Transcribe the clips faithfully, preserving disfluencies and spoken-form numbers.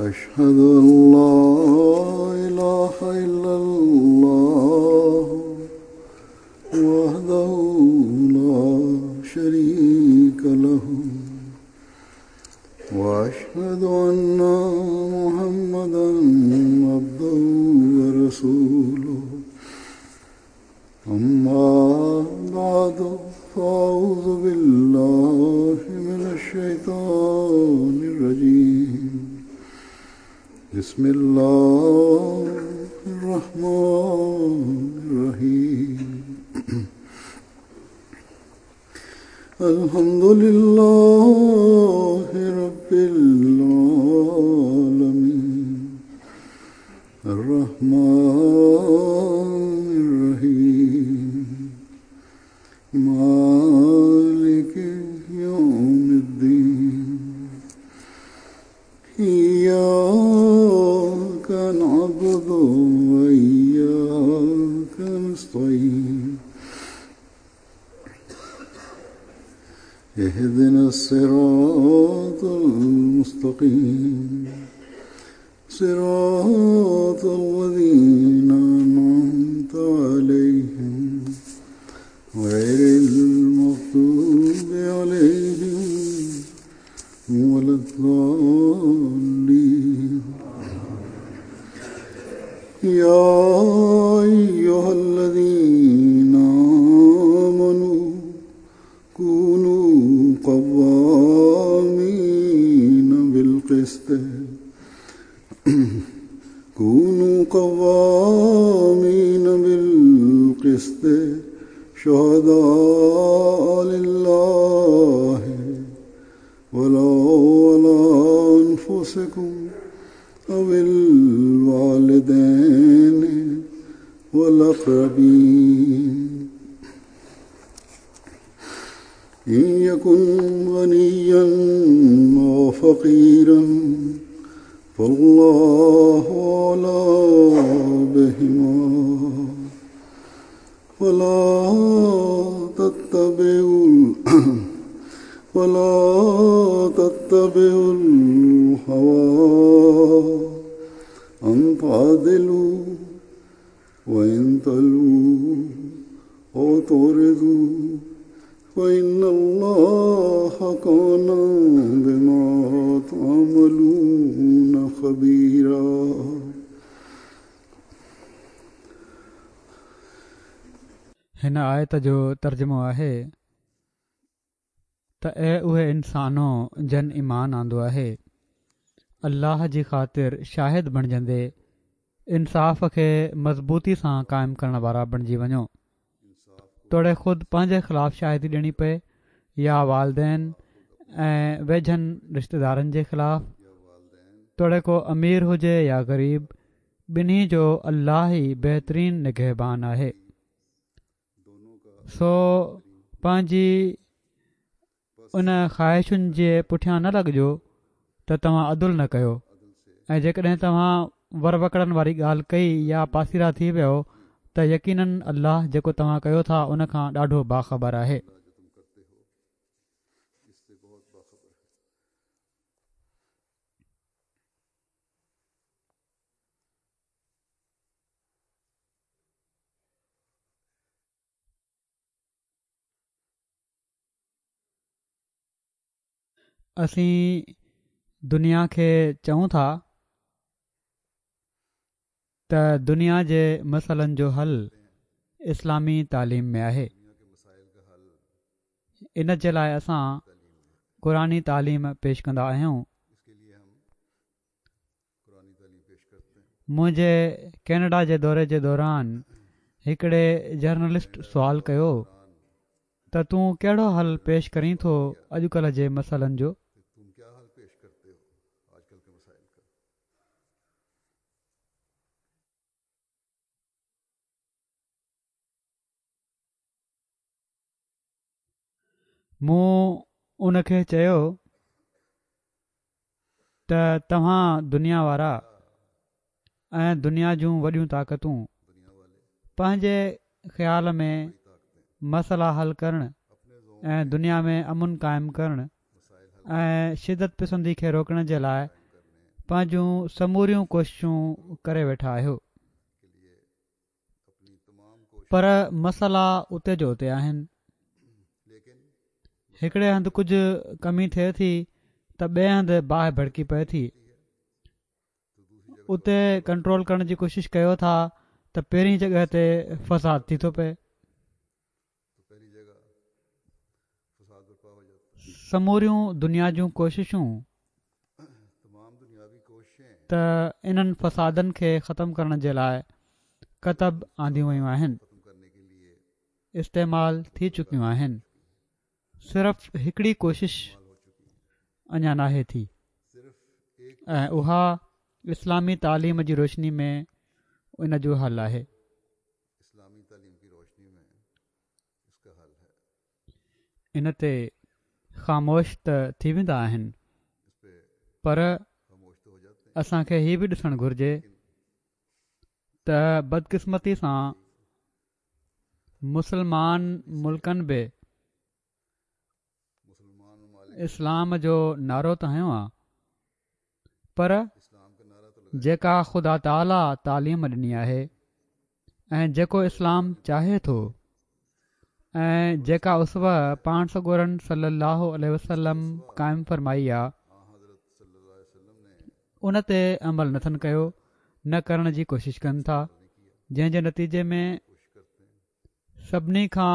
أشهد أن لا إله إلا الله وحده لا شريك له وأشهد أن محمدا عبده ورسوله أما بعد فأعوذ بالله من الشيطان الرجيم بسم الله الرحمن الرحيم الحمد لله رب العالمين الرحمن الرحيم مالك يوم الدين إياك نعبد وإياك نستعين اهدنا الصراط المستقيم صراط الذين أنعمت عليهم غير المغضوب عليهم ولا الضالين يا أيها الذين آمنوا كونوا قوامين بالقسط كونوا قوامين بالقسط شهداء لله ولو على أنفسكم أو الوالدين والأقربين إن يكن غنيا أو فقيرا فالله أولى بهما ولا تتبعوا ولا تتبعوا الهوى أن تعدلوا وإن تلووا أو تعرضوا فإن الله كان بما تعملون خبيرا. هن آيت جو ترجمو آهي ته اي اهي انسانو جن ايمان آندو آهي، الله جي خاطر شاهد بڻجندي انصاف کي مضبوطي سان قائم ڪرڻ وارا بڻجي وڃو، توڙي خود پنهنجي خلاف شاهدي ڏيڻي پئي يا والدين ۽ ويجهن رشتيدارن جي خلاف، توڙي ڪو امير هجي يا غريب، ٻنهي جو الله ئي بهترين نگهبان آهي. سو پنهنجي ان خواهشن جي پٺيان نه لڳجو ته توهان عدل نه ڪيو، ۽ جيڪڏهن توهان ور وڪڙن واري ڳالهه ڪئي يا پاسيرا ٿي ويو ته يقينن الله جيڪو توهان ڪيو ٿا ان کان ڏاڍو باخبر آهي. اسين دنيا کي چئون ٿا ته دنيا جي مسئلن جو حل اسلامي تعليم ۾ آهي. ان جي لاءِ اسان قرآني تعليم پيش ڪندا آهيون. منهنجي ڪينيڊا جي دوري جي دوران هڪڙي جرنلسٽ سوال ڪيو ته تون ڪهڙو حل پيش ڪرين ٿو اڄڪلهه جي مسئلن جو؟ مون ان کي چيو ته توهان دنيا وارا ۽ دنيا جون وڏيون طاقتون پنهنجي خيال ۾ مسئلا حل ڪرڻ ۽ دنيا ۾ امن قائم ڪرڻ ۽ شدت پسندي کي روڪڻ جي لاءِ پنهنجون سموريون ڪوششون ڪري ويٺا آهيو، پر مسئلا اتي جو اتي آهن. هڪڙي هنڌ ڪجهه ڪمي ٿئي ٿي ته ٻئي هنڌ باهه ڀڙڪي پئي ٿي. اتي ڪنٽرول ڪرڻ جي ڪوشش ڪيو ٿا ته پهرين جڳهه تي فساد ٿي ٿو پئي. سموريون دنيا جون ڪوششون ته انهن فسادن کي ختم ڪرڻ جي لاءِ ڪتب آنديون ويون آهن، استعمال ٿي چڪيون آهن. صرف هڪڙي ڪوشش اڃا ناهي ٿي ۽ اها اسلامي تعليم جي روشني ۾ ان جو حل آهي. ان تي خاموش ته ٿي ويندا آهن، پر اسان کي هي به ڏسڻ گهرجي ته بدقسمتي سان مسلمان ملڪن به اسلام جو نعرو ته هنيو آهي، پر جيڪا خدا تعاليٰ تعليم ڏني آهي ۽ جيڪو اسلام چاهي ٿو ۽ جيڪا اسوه پاڻ سڳورن صلي الله عليه وسلم قائم فرمائي آ، ان تي عمل نٿن ڪيو، نه ڪرڻ جي ڪوشش ڪن ٿا، جنهن جي نتيجي ۾ سڀني کان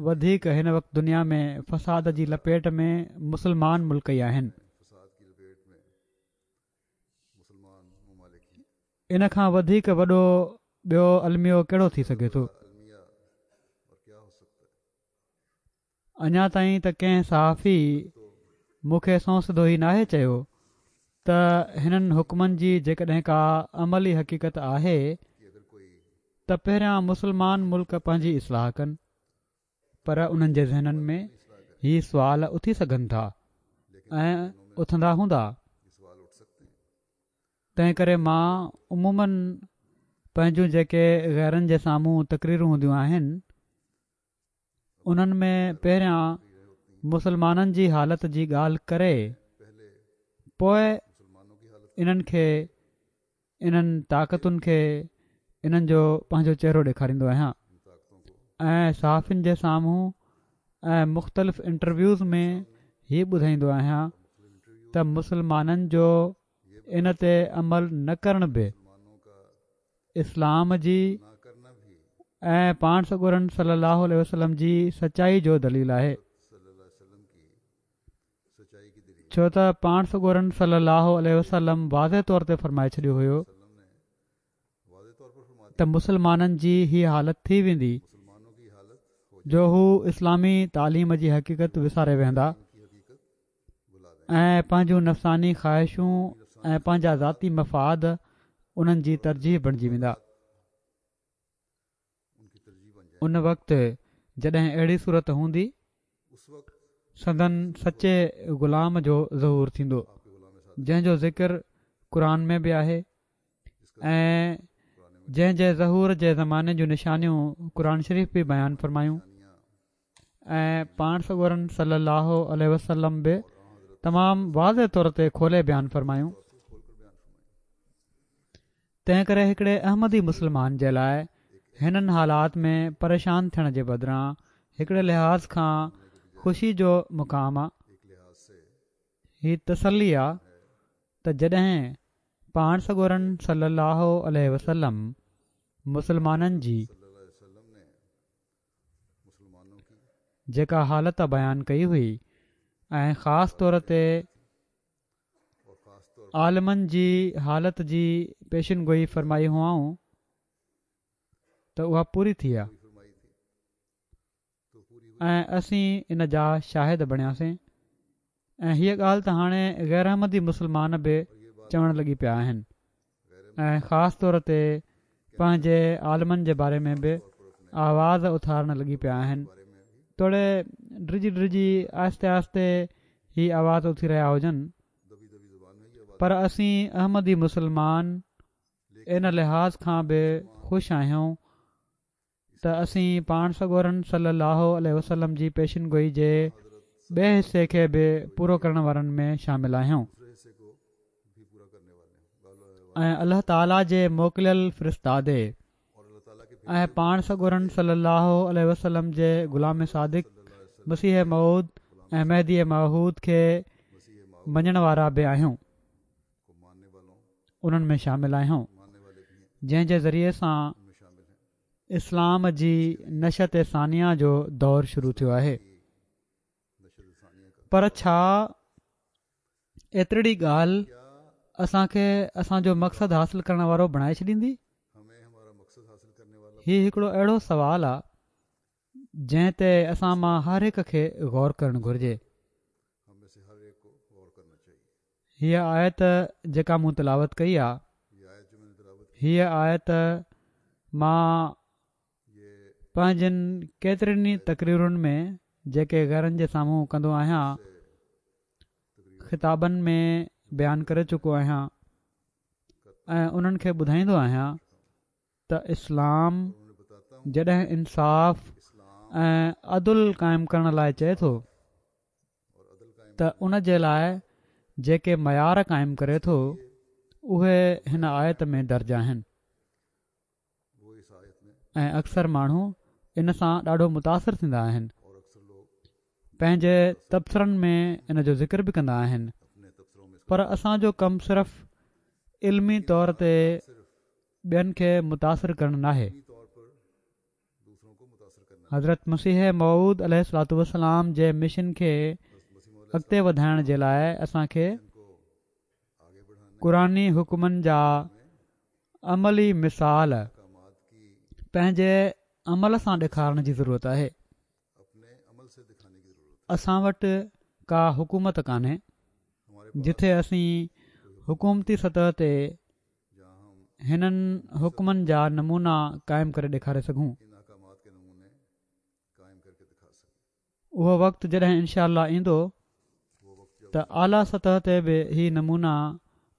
وڌيڪ هن وقت دنيا ۾ فساد جي لپيٽ ۾ مسلمان ملڪ ئي آهن. ان کان وڌيڪ وڏو ٻيو الميو ڪهڙو ٿي سگهي ٿو؟ اڃا تائين ته ڪنهن صحافي مون کي سنئون سڌو ئي ناهي چيو ته هنن حڪمن جي جيڪڏهن ڪا عملي حقيقت آهي ته پهريان مسلمان ملڪ پنهنجي اصلاح ڪن، پر انهن جي ذهنن ۾ هي سوال اٿي سگهن ٿا ۽ اٿندا هوندا. تنهن ڪري مان عموماً پنهنجون جيڪي غيرن جي سامهون تقريرون هونديون آهن، انهن ۾ پهريان مسلمانن جي حالت جي ڳالهه ڪري پوءِ انهن کي، انهن طاقتن کي انهن جو پنهنجو چهرو ڏيکاريندو آهيان ۽ صحافين جي سامهون ۽ مختلف انٽرويوز ۾ هي ٻڌائيندو آهيان ته مسلمانن جو ان تي عمل نه ڪرڻ به اسلام جي ۽ پاڻ سڳورن صلي الله عليه وسلم جي سچائي جو دليل آهي، ڇو ته پاڻ سڳورن صلي الله عليه وسلم واضح طور تي فرمائي ڇڏيو هيو ته مسلمانن جي هي حالت ٿي ويندي جو هو اسلامي تعليم جي حقيقت وساري ويهندا ۽ پنهنجون نفساني خواهشون ۽ پنهنجا ذاتي مفاد انهن جي ترجيح بڻجي ويندا. ان وقت جڏهن اهڙي صورت هوندي، سندن سچي غلام جو ظهور ٿيندو، جنهن جو ذڪر قرآن ۾ به آهي ۽ جنهن جي ظهور جي زماني جون نشانيون قرآن شريف به بيان فرمايون ۽ پاڻ سڳورن صلي الله عليه وسلم به تمام واضح طور تي کولي بيان فرمايون. تنهن ڪري هڪڙي احمدي مسلمان جي لاءِ هنن حالات ۾ پريشان ٿيڻ جي بدران هڪڙي لحاظ کان خوشي جو مقام آ، هي تسلي آ ته جڏهن پاڻ سڳورن صلي الله عليه وسلم مسلمانن جي جيڪا حالت بيان ڪئي هئي ۽ خاص طور تي عالمن جي حالت جي پيشن گوئي فرمائي هئائون ته اها پوري ٿي آ ۽ اسين ان جا شاهد بڻياسين ۽ هيءَ ڳالهه ته هاڻي غير احمدي مسلمان به چوڻ لڳي پيا آهن ۽ خاص طور تي پنهنجي عالمن جي باري ۾ به آواز اٿارڻ لڳي پيا آهن، توڙي ڊڄي ڊڄي آهستي آهستي هي آواز اٿي رهيا هجن، پر اسين احمدي مسلمان ان لحاظ کان به خوش آهيون ته اسين پاڻ سڳورن صلي الله عليه وسلم جي پيشن گوئي جي ٻئي حصي کي به پورو ڪرڻ وارن ۾ شامل آهيون. ۽ الله تعاليٰ جي موڪليل فرستادي ۽ پاڻ سڳورن صلي الله عليه وسلم جي غلام صادق مسيح موعود ۽ مهدي موعود کي مڃڻ وارا به آهيون، انهن ۾ شامل آهيون، جنهن جي ذريعي سان اسلام جي نشأت ثانيه جو دور شروع ٿيو آهي. پر ڇا ايترڙي ڳالهه اسان کي اسان جو مقصد حاصل ڪرڻ وارو بڻائي ڇڏيندي؟ هي هڪڙو اهڙو سوال آ جنهن تي اسان مان هر هڪ کي غور ڪرڻ گهرجي. هيء آيت جيڪا مون تلاوت ڪئي آ، هيء آيت مان پنهنجين ڪيترين ئي تقريرن ۾ جيڪي غيرن جي سامهون ڪندو آهيان، خطابن ۾ بيان ڪري چڪو آهيان ۽ انهن کي ٻڌائيندو آهيان ته اسلام جڏهن انصاف ۽ عدل قائم ڪرڻ لاء چئي ٿو ته ان جي لاء جيڪي معيار قائم ڪري ٿو اهي هن آيت ۾ درج آهن ۽ اڪثر ماڻهو ان سان ڏاڍو متاثر ٿيندا آهن، پنهنجي تبصرن ۾ ان جو ذڪر به ڪندا آهن، پر اسان جو ڪم صرف علمي طور تي ٻين کي متاثر ڪرڻ ناهي. حضرت مسيح موعود عليه الصلوة والسلام جي مشن کي اڳتي وڌائڻ جي لاء اسان کي قرآني حڪمن جا عملي مثال پنهنجي عمل سان ڏيکارڻ جي ضرورت آهي. اسان وٽ ڪا حڪومت ڪانهي جتي اسين حڪومتي سطح تي هنن حڪمن جا نمونا قائم ڪري ڏيکاري سگهون. اهو وقت جڏهن انشاء الله ايندو ته اعليٰ سطح تي به هي نمونا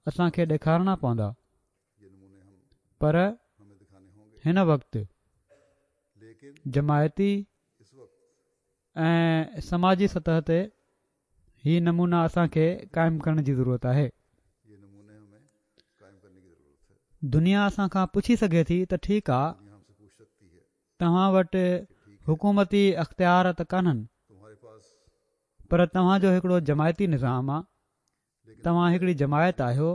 اسان کي ڏيکارڻا پوندا، پر هن وقت جماعتي ۽ سماجي سطح تي هي نمونا اسان کي قائم ڪرڻ جي ضرورت آهي. دنيا اسان کان پڇي سگهي ٿي ته ٺيڪ آ توهان وٽ حڪومتي اختيار ته ڪانهن پر توهان جو هڪڙو جماعتي نظام آ، توهان هڪڙي جماعت آهيو،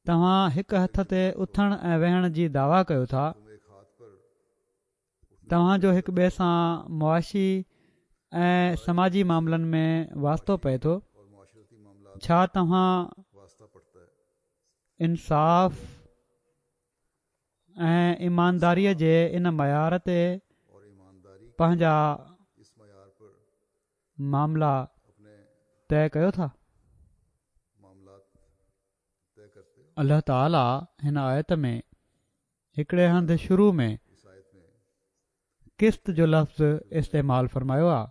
توهان هڪ هٿ تي اٿڻ ۽ ويهڻ جي دعويٰ ڪيو ٿا، توهان جو هڪ ٻئي سان معاشي ۽ سماجي معاملن ۾ واسطو پئي ٿو، ڇا توهان انصاف ۽ ايمانداريء جي ان معيار تي پنهنجا معاملا طئي ڪيو ٿا؟ الله تعاليٰ هن آيت ۾ هڪڙي هنڌ شروع ۾ قسط جو لفظ استعمال فرمايو آهي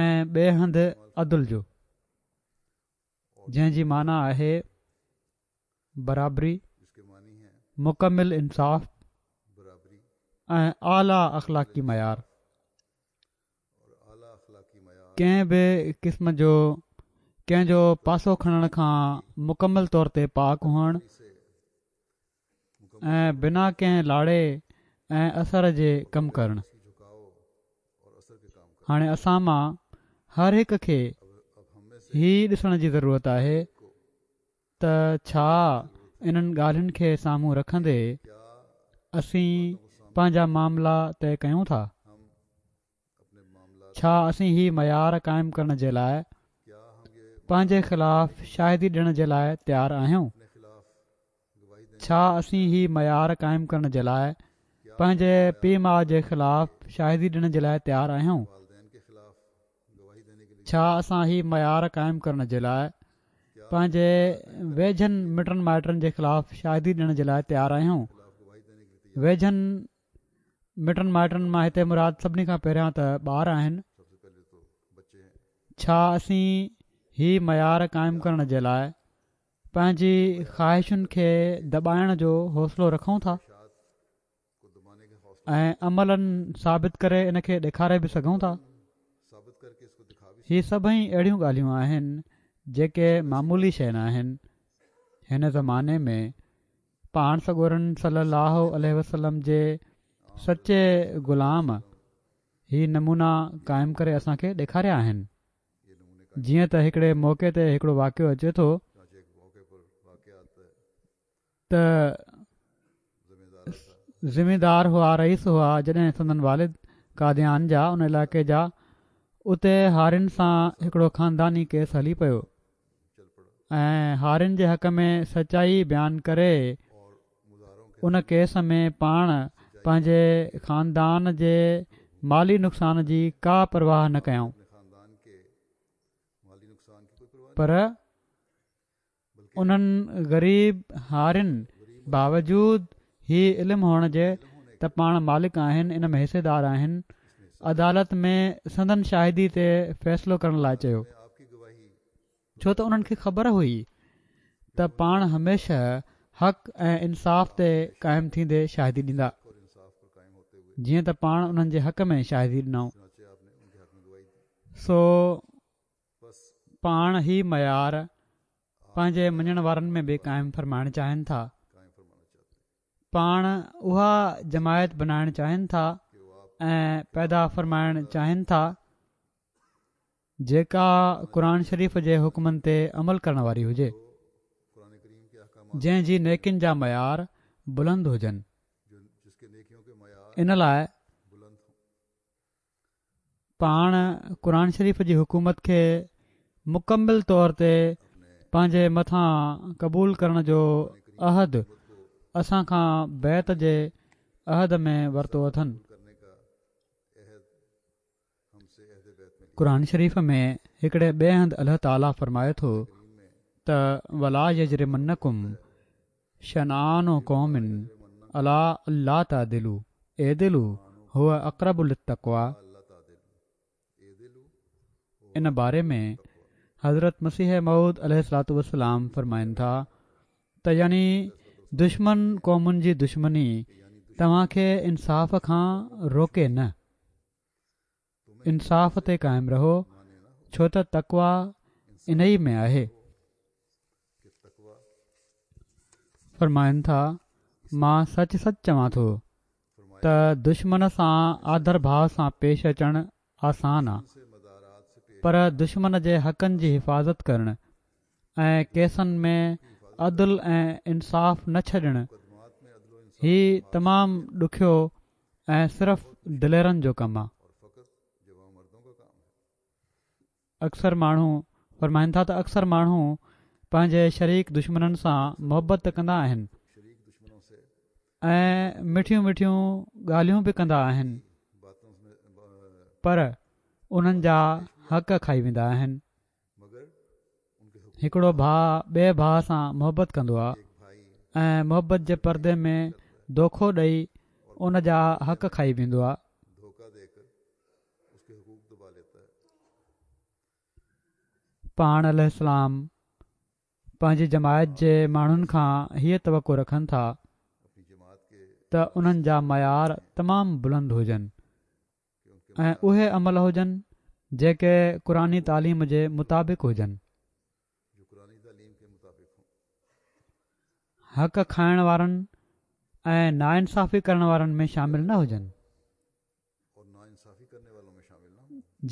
۽ ٻئي هنڌ عدل جو، جنهن جي معنيٰ آهي برابري، مڪمل انصاف ۽ اعليٰ اخلاقي معيار. ڪنهن به قسم جو ڪنهن جو پاسو کڻڻ کان مڪمل طور تي پاڪ هئڻ ۽ بنا ڪنهن لاڙي ۽ اثر جي ڪم ڪرڻ. هاڻي اسان مان هر هڪ کي هي ڏسڻ جي ضرورت آهي ته ڇا انهن ڳالهين کي سامهون رکندي اسين پنهنجا معاملا طئي ڪيون ٿا؟ ڇا اسين هي معيار قائم ڪرڻ جي لاء پنهنجي خلاف شاهدي ڏيڻ جي لاء تيار آهيون؟ ڇا اسين هي معيار قائم ڪرڻ جي لاء پنهنجي پيء ماء جي خلاف شاهدي ڏيڻ جي لاء تيار آهيون؟ ڇا اسان هي معيار قائم ڪرڻ جي لاء پنهنجي ويجهن مٽن مائٽن جي خلاف شاهدي ڏيڻ جي لاء تيار آهيون؟ ويجهن مٽن مائٽن مان هتي مراد سڀني کان پهريان ته ٻار آهن. ڇا اسين هي معيار قائم ڪرڻ جي لاء پنهنجي خواهشن کي دٻائڻ جو حوصلو رکون ٿا ۽ عملاً ثابت ڪري ان کي ڏيکاري به سگهون ٿا؟ هي سڀئي اهڙيون ڳالهيون آهن جيڪي معمولي شيء ناهن. هن زماني ۾ پاڻ سڳورن صلي الله عليه وسلم جي سچي غلام هي نمونا قائم ڪري اسان کي ڏيکاريا آهن. جيئن ته هڪڙي موقعي تي هڪڙو واقعو اچي ٿو ته زميندار هئا، رئيس هئا، جڏهن سندن والد قاديان جا ان علائقي جا اتي هارين سان هڪڙو خانداني ڪيس هلي پيو ۽ هارين جي حق ۾ سچائي بيان ڪري ان ڪيس ۾ پاڻ پنهنجي خاندان جي مالي نقصان جي ڪا پرواهه نه ڪيائون پر انهن غريب هارين باوجود هي علم هئڻ جي ته پاڻ مالڪ آهن ان ۾ حصيدار آهن عدالت ۾ سندن شاهدي تي فيصلو ڪرڻ لاء چيو ڇو ته انهن کي خبر هئي ته پاڻ هميشه حق ۽ انصاف تي قائم ٿيندي شاهدي ڏيندا جيئن ته پاڻ انهن جي حق ۾ شاهدي ڏنائون سو پاڻ هي معيار پنهنجي مڃڻ وارن ۾ به قائم فرمائڻ چاهين ٿا. پاڻ اها جماعت بنائڻ چاهين ٿا ۽ پيدا فرمائڻ چاهين ٿا جيڪا قرآن شريف جي حڪمن تي عمل ڪرڻ واري هجي، جنهن جي نيڪين جا معيار بلند هجن. ان لاء پاڻ قرآن شريف جي حڪومت کي مڪمل طور تي پنهنجي مٿان قبول ڪرڻ جو عهد اسان کان بيعت جي عهد ۾ ورتو اٿن. قرآن شريف ۾ هڪڙي ٻئي هنڌ الله تعاليٰ فرمائي ٿو ته ولا يجرمنڪم شنآن قوم عليٰ الا تعدلوا اعدلوا هو اقرب للتقويٰ. ان باري ۾ حضرت مسيح موعود عليه الصلوة والسلام فرمائن ٿا ته يعني دشمن قومن جي دشمني توهان کي انصاف کان روڪي نه، انصاف تي قائم رهو ڇو ته تقويٰ انهي ۾ آهي. فرمائن ٿا مان سچ سچ چوان ٿو ته دشمن سان آڌر ڀاء سان پيش اچڻ آسان آ پر دشمن جي حقن جي حفاظت ڪرڻ ۽ ڪيسن ۾ عدل ۽ انصاف نه ڇڏڻ هي تمام ڏکيو ۽ صرف دليرن جو ڪم آ. اڪثر ماڻهو فرمائن ٿا ته اڪثر ماڻهو پنهنجي شريڪ دشمنن سان محبت ته ڪندا آهن ۽ مٺيون مٺيون ڳالهيون به ڪندا آهن پر انهن جا حق کائي ويندا آهن. هڪڙو ڀاء ٻئي ڀاء سان محبت ڪندو آهي ۽ محبت جي پردي ۾ دوکو ڏئي ان جا حق کائي ويندو آهي. پاڻ عليه السلام پنهنجي جماعت جي ماڻهن کان هيء توقع رکن ٿا ته انهن جا معيار تمام بلند هجن ۽ اهي عمل هجن جيڪي قرآني تعليم جي مطابق هجن. حق کائڻ وارن ۽ ناانصافي ڪرڻ وارن ۾ شامل نه هجن.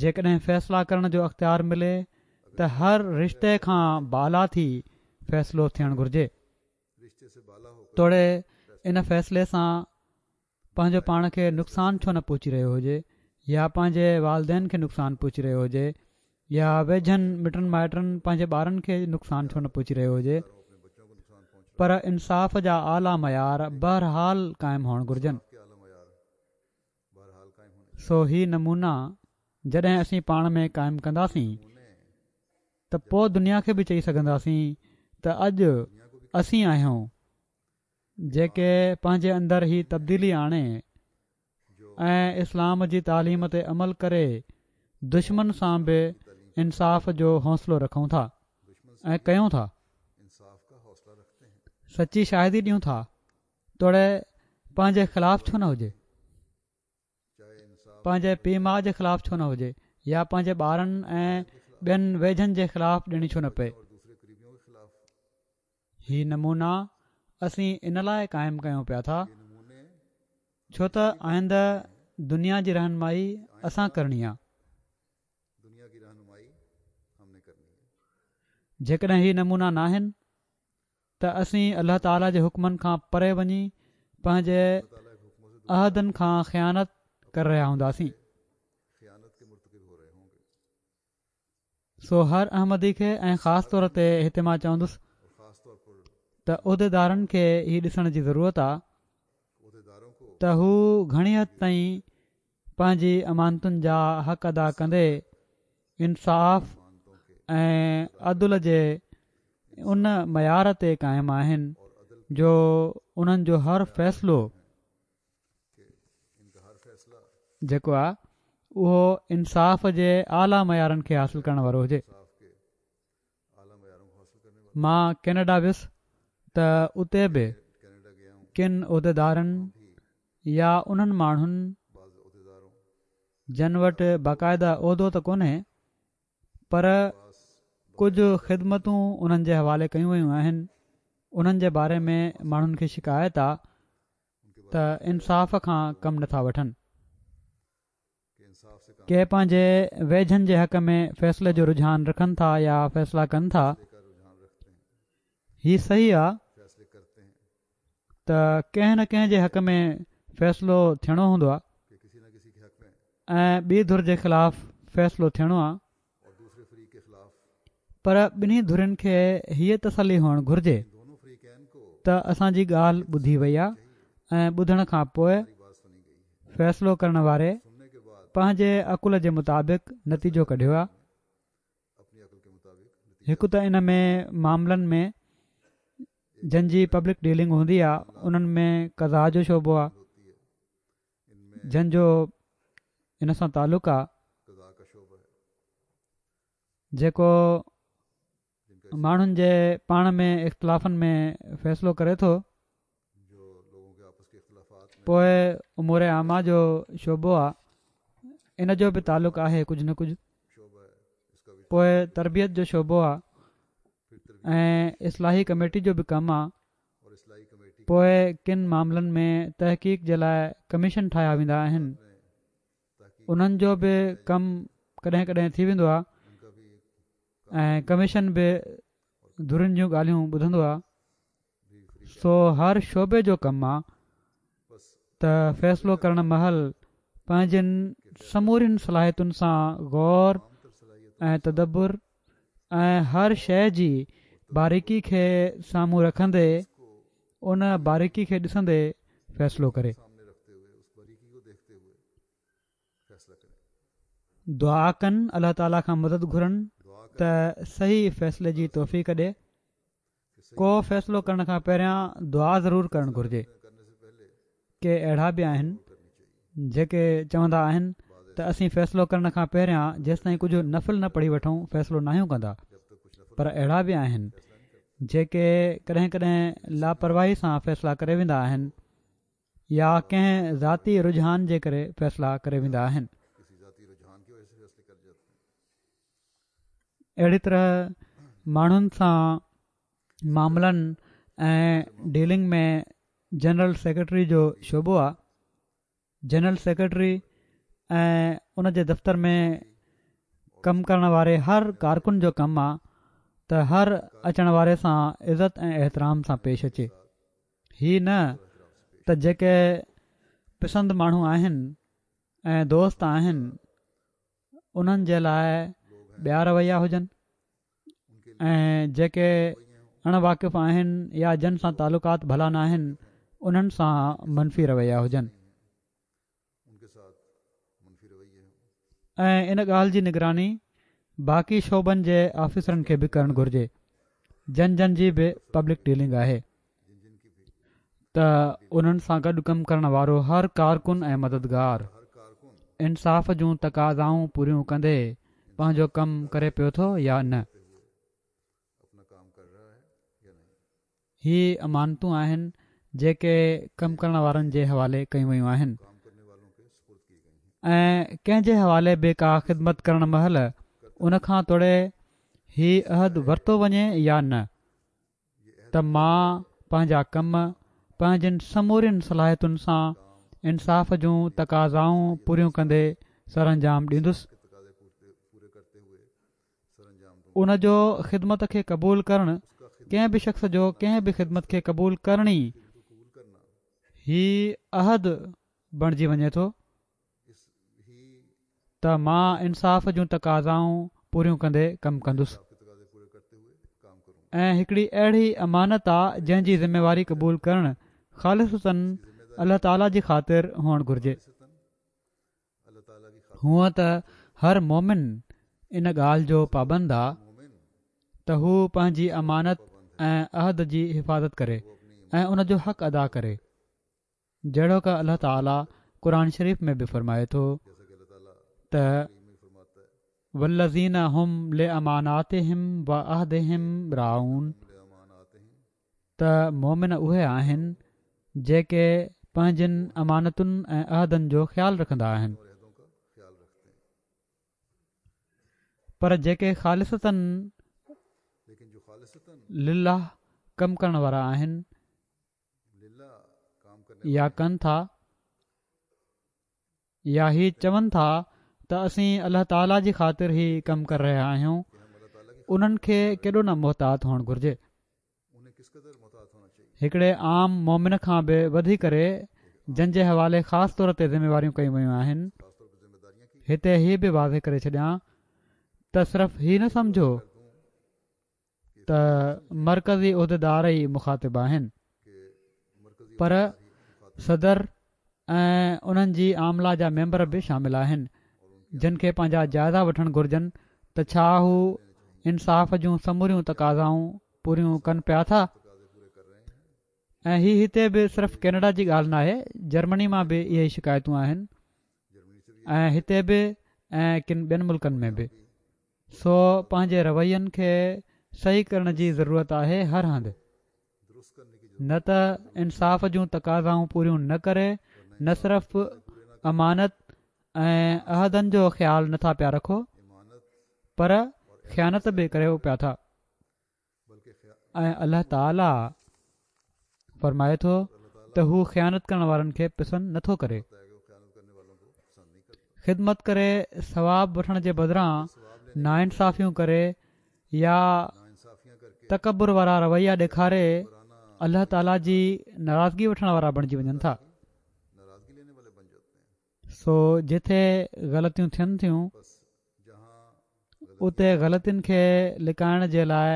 جيڪڏهن فيصلا ڪرڻ جو اختيار ملي ته هر رشتي کان بالا ٿي فيصلو ٿيڻ گهرجي. توڙي ان فيصلي سان پنهنجو پاڻ کي نقصان ڇو نه پهچي رهيو هجي يا پنهنجي والدين کي نقصان پهچي رهيو هجي يا ويجهن مٽن مائٽن پنهنجي ٻارن کي نقصان ڇو نه پهچي رهيو هجي پر انصاف جا اعليٰ معيار بهرحال قائم هئڻ گهرجن. سو هي نمونا جڏهن اسين پاڻ ۾ قائم ڪنداسين ته پوء دنيا کي به چئي سگهنداسين ته اڄ اسين آهيون جيڪي پنهنجي اندر هي تبديلي آڻي ۽ اسلام جي تعليم تي عمل ڪري دشمن سان به انصاف جو حوصلو رکون ٿا ۽ ڪيون ٿا، سچي شاهدي ڏيون ٿا توڙي پنهنجي خلاف ڇو نه هجي، پنهنجي پيء ماء جي خلاف ڇو نه هجي يا پنهنجي ٻارن ۽ ٻين ويجهن جي خلاف ڏيڻي ڇو نه پئي. هي نمونا اسين ان لاءِ قائم ڪيون پيا ٿا ڇو ته آئنده دنيا جي رهنمائي اسان ڪرڻي آهي. جيڪڏهن هي نمونا ناهن ته اسين الله تعاليٰ جي حڪمن کان پري وڃي پنهنجي عهدن کان خيانت ڪري رهيا هونداسين. سو هر احمدي کي ۽ خاص طور تي هتي مان چوندس ته عهديدارن کي هي ڏسڻ جي ضرورت آهي ته هو گهڻي حد تائين پنهنجي امانتن جا حق ادا ڪندي انصاف ۽ عدل جي ان معيار تي قائم آهن جو انهن جو هر فيصلو جيڪو آهي اهو انصاف جي اعليٰ معيارن کي حاصل ڪرڻ وارو هجي. مان ڪينيڊا ويس ته اتي به ڪن عهديدارن يا انهن ماڻهن جن وٽ باقاعده عهدو ته ڪونهي پر ڪجهه خدمتون انهن جي حوالي ڪيون ويون آهن، انهن جي باري ۾ ماڻهن کي شڪايت آ ته انصاف کان ڪم نٿا وٺن. ڪي پنهنجي ويجهن جي حق ۾ فيصلي جو رجحان رکن ٿا يا فيصلا ڪن ٿا. هي صحيح آ ته ڪنهن نه ڪنهن جي حق ۾ فيصلو ٿيڻو هوندو آ ۽ ٻي ڌر جي خلاف فيصلو ٿيڻو آ، پر ٻنهي ڌرين کي هيءَ تسلي هئڻ گهرجي ته اسان جي ڳالهه ٻڌي وئي آ ۽ ٻڌڻ کان پوءِ فيصلو ڪرڻ واري پنهنجي عقل جي مطابق نتيجو ڪڍيو آ. هڪ ته ان ۾ معاملن ۾ جن جي پبلڪ ڊيلنگ هوندي آ انهن ۾ قضا جو شعبو آ جن جو ان سان تعلق آ، جيڪو ماڻهن جي پاڻ ۾ اختلافن ۾ فيصلو ڪري ٿو. پوءِ امور عامه جو شعبو آ، ان جو به تعلق آهي ڪجهه نه ڪجهه. پوءِ تربيت جو شعبو آ ۽ اصلاحي ڪميٽي جو به ڪم آ. پوءِ ڪن معاملن ۾ تحقيق جي لاءِ ڪميشن ٺاهيا ويندا آهن، انهن جو به ڪم ڪڏهن ڪڏهن ٿي ويندو آ ۽ ڪميشن به ڌرين جون ڳالهيون ٻڌندو آ. سو هر شعبي جو ڪم آ ته فيصلو ڪرڻ مهل پنهنجين سمورين صلاحيتن سان غور ۽ تدبر ۽ هر شيءِ جي باريڪي کي سامهون رکندي ان باريڪي کي ڏسندي فيصلو ڪري. دعا ڪن، الله تعاليٰ کان مدد گهرن ته صحيح فيصلي جي توفيق ڏي. ڪو فيصلو ڪرڻ کان پهريان دعا ضرور ڪرڻ گهرجي. ڪي اهڙا به آهن جيڪي چوندا آهن ته اسين فيصلو ڪرڻ کان پهريان جيستائين ڪجهه نفل نه پڙهي وٺون فيصلو ناهيون ڪندا، پر اهڙا به آهن جيڪي ڪڏهن ڪڏهن لاپرواهي سان فيصلا ڪري ويندا آهن يا ڪنهن ذاتي رجحان جي ڪري فيصلا ڪري ويندا آهن. اهڙي طرح ماڻهن سان معاملن ۽ ڊيلنگ ۾ جنرل سيڪريٽري جو شعبو آ. جنرل سيڪريٽري ۽ ان جي دفتر ۾ ڪم ڪرڻ واري هر ڪارڪن جو ڪم آ ته هر اچڻ واري سان عزت ۽ احترام سان پيش اچي. هي نه ته جيڪي پسند ماڻهو آهن ۽ دوست آهن انهن جي لاءِ ٻيا رويا هجن ۽ جيڪي اڻ واقف آهن يا جن سان تعلقات ڀلا نه آهن انهن سان منفي رويا هجن. ۽ ان ڳالهه جي نگراني باقي شعبن جي آفيسرن کي به ڪرڻ گهرجي جن جن جي به پبلڪ ڊيلنگ آهي ته انهن سان گڏ ڪم ڪرڻ وارو هر ڪارڪن ۽ مددگار انصاف جون تقاضائون پوريون ڪندي پنهنجو ڪم ڪري پيو ٿو يا نه. هي امانتون آهن جيڪي ڪم ڪرڻ وارن جي حوالي ڪيون ويون آهن ۽ ڪنهن جي حوالي به ڪا خدمت ڪرڻ مهل ان کان توڙي هي عهد ورتو وڃي يا نه، ته مان پنهنجا ڪم پنهنجين سمورين صلاحيتن سان انصاف جون تقاضائون پوريون ڪندي سرانجام ڏيندس. ان جو خدمت کي قبول ڪرڻ ڪنهن به شخص جو ڪنهن به خدمت کي قبول ڪرڻ ئي هي عهد بڻجي وڃي ٿو ته مان انصاف جون تقاضائون پوريون ڪندي ڪم ڪندس ۽ هڪڙي اهڙي امانت آ جنهن جي ذميواري قبول ڪرڻ خالصتاً الله تعاليٰ جي خاطر هئڻ گهرجي. هونء ته هر مومن ان ڳالهه جو پابند آ ته هو پنهنجي امانت ۽ عهد جي حفاظت ڪري ۽ ان جو حق ادا ڪري، جهڙوڪ الله تعاليٰ قرآن شريف ۾ به فرمائي ٿو ته والذين هم لاماناتهم وعهدهم راعون، ته مومن اهي آهن جيڪي پنهنجين امانتن ۽ عهدن جو خيال رکندا آهن، پر جيڪي خالصتاً لله ڪم ڪرڻ وارا آهن يا ڪن ٿا يا هي چون ٿا ته اسين الله تعاليٰ جي خاطر هي ڪم ڪري رهيا آهيون، انهن کي ڪيڏو نه محتاط هئڻ گهرجي. هڪڙي عام مومن کان به وڌي ڪري جن جي حوالي خاص طور تي ذميواريون ڪيون ويون آهن. هتي هي به واضح ڪري ڇڏيان ته صرف هي نه سمجهو ته مرڪزي عهديدار ئي مخاطب آهن، پر صدر ۽ انهن جي عامله جا ميمبر به شامل آهن، جن کي پنهنجا جائزا وٺڻ گهرجن ته ڇا هو انصاف جون سموريون تقاضائون پوريون ڪن پيا ٿا. ۽ هي هتي به صرف ڪينيڊا جي ڳالهه ناهي، جرمني مان به اهي ئي شڪايتون آهن ۽ هتي به ۽ ڪن ٻين ملڪن ۾ به. سو پنهنجي روين کي صحيح ڪرڻ جي ضرورت آهي هر هنڌ، نه ته انصاف جون تقاضائون پوريون نه ڪري نه صرف امانت ۽ عهدن جو خيال نٿا پيا رکو پر خيانت به ڪريو پيا ٿا. ۽ الله تعاليٰ فرمائي ٿو ته هو خيانت ڪرڻ وارن کي پسند نٿو ڪري. خدمت ڪري ثواب وٺڻ جي بدران ناانصافيون ڪري يا تڪبر وارا رويا ڏيکاري الله تعاليٰ جي ناراضگي وٺڻ وارا بڻجي وڃن ٿا. سو جتي غلطيون ٿين ٿيون اتي غلطين کي لڪائڻ جي لاء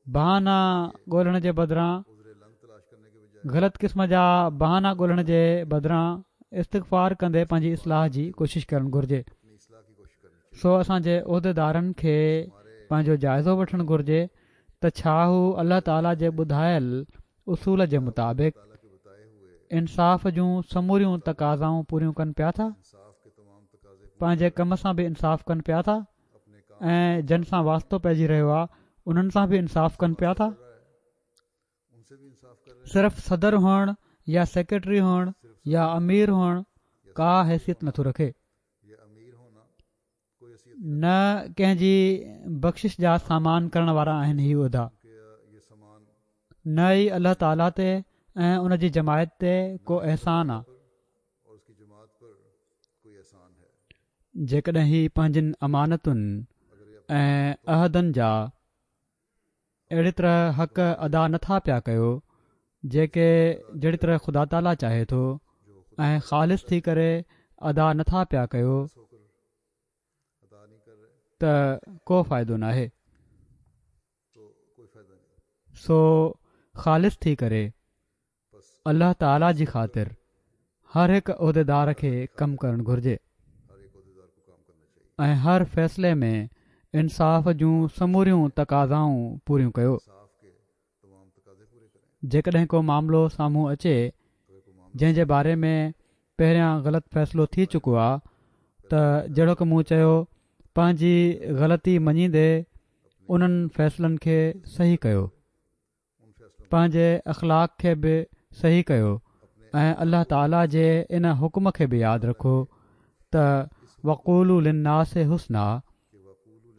بهانا ڳولڻ جي بدران غلط قسم جا بهانا ڳولڻ جي بدران استغفار ڪندي پنهنجي اصلاح جي ڪوشش ڪرڻ گهرجي. سو اسان جي عهديدارن کي پنهنجو جائزو وٺڻ گهرجي ته ڇا هو الله تعاليٰ جي ٻڌايل اصول جي مطابق انصاف جون سموريون تقاضائون پوريون ڪن پيا ٿا، پنهنجي ڪم سان به انصاف ڪن پيا ٿا ۽ جن سان واسطو پئجي رهيو آهي انهن سان به انصاف ڪن پيا ٿا. صرف صدر هئڻ يا سيڪريٽري هئڻ يا امير هئڻ ڪا حيثيت نٿو رکي، نه ڪنهن جي بخشش جا سامان ڪرڻ وارا آهن هي عهدا، نه ئي الله تعاليٰ تي ۽ ان جي جماعت تي ڪو احسان آ. جيڪڏهن هي پنهنجين امانتن ۽ عهدن جا اهڙي طرح حق ادا نٿا پيا ڪيو جيڪي جهڙي طرح خدا تعاليٰ چاهي ٿو ۽ خالص ٿي ڪري ادا نٿا پيا ڪيو ته ڪو فائدو ناهي. سو خالص ٿي ڪري الله تعاليٰ جي خاطر هر هڪ عهديدار کي ڪم ڪرڻ گهرجي ۽ هر فيصلي ۾ انصاف جون سموريون تقاضائون پوريون ڪيو. جيڪڏهن ڪو معاملو سامهون اچي جنهن جي باري ۾ پهريان غلط فيصلو ٿي چڪو آ ته جهڙوڪ مون چيو پنهنجي غلطي مڃيندي انهن فيصلن کي صحيح ڪيو، پنهنجي اخلاق کي به صحيح ڪيو ۽ الله تعاليٰ جي ان حڪم کي به ياد رکو ته وقولوا للناس حسنا،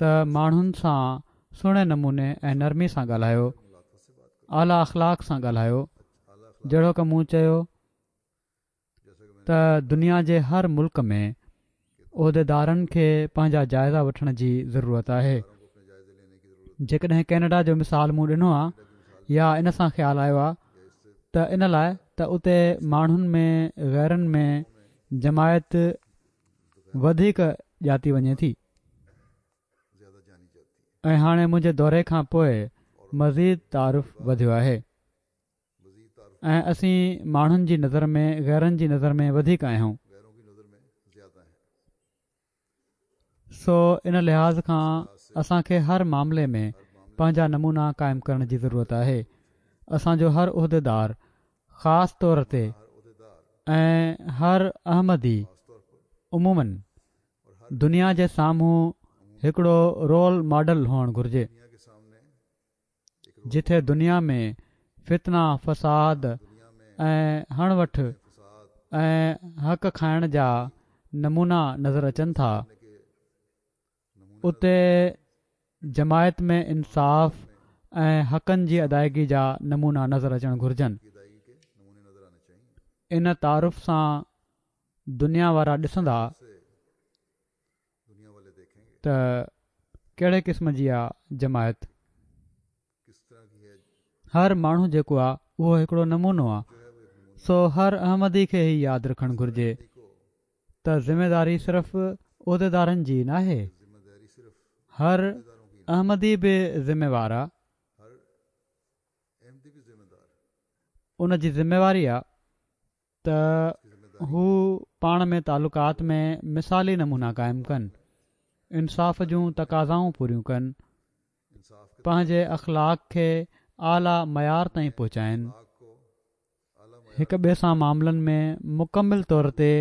ته ماڻهن سان سهڻي نموني ۽ نرمي سان ڳالهايو اعليٰ اخلاق سان ڳالهايو. جهڙوڪ مون چيو ته دنيا جي هر ملڪ ۾ عهديدارن کي پنهنجا جائزا وٺڻ جي ضرورت آهي. جيڪڏهن ڪينيڊا جو مثال مون ڏنو آهي يا ان سان خيال آيو آهي ته ان لاءِ ته اتي ماڻهن ۾ غيرن ۾ جماعت وڌيڪ ڄاتي وڃي ٿي ۽ هاڻي منهنجي دوري کان پوءِ مزيد تعارف وڌيو آهي ۽ اسين ماڻهن جي نظر ۾ غيرن جي نظر ۾ وڌيڪ آهيون. سو ان لحاظ کان اسان کي هر معاملي ۾ پنهنجا نمونا قائم ڪرڻ جي ضرورت آهي. اسان جو هر عهديدار خاص طور تي ۽ هر احمدي عموماً دنيا جي سامهون هڪڙو رول ماڊل هئڻ گهرجي. جٿي دنيا ۾ فتنا فساد ۽ هڻ وٺ ۽ حق کائڻ جا نمونا نظر اچن ٿا، اتي جماعت ۾ انصاف ۽ حقن جي ادائگي جا نمونا نظر اچڻ گهرجن. ان تعارف سان دنيا وارا ڏسندا ته ڪهڙي قسم جي آ جماعت. هر ماڻهو جيڪو آ اهو هڪڙو نمونو آ. سو هر احمدي کي هي ياد رکڻ گهرجي ته ذميداري صرف عهديدارن جي ناهي، هر احمدي به ذميوار آ. ان جي ذميواري آ ته هو پاڻ ۾ تعلقات ۾ مثالي نمونا قائم ڪن، انصاف جون تقاضائون پوريون ڪن، پنهنجي اخلاق کي اعليٰ معيار تائين پهچائن، هڪ ٻئي سان معاملن ۾ مڪمل طور تي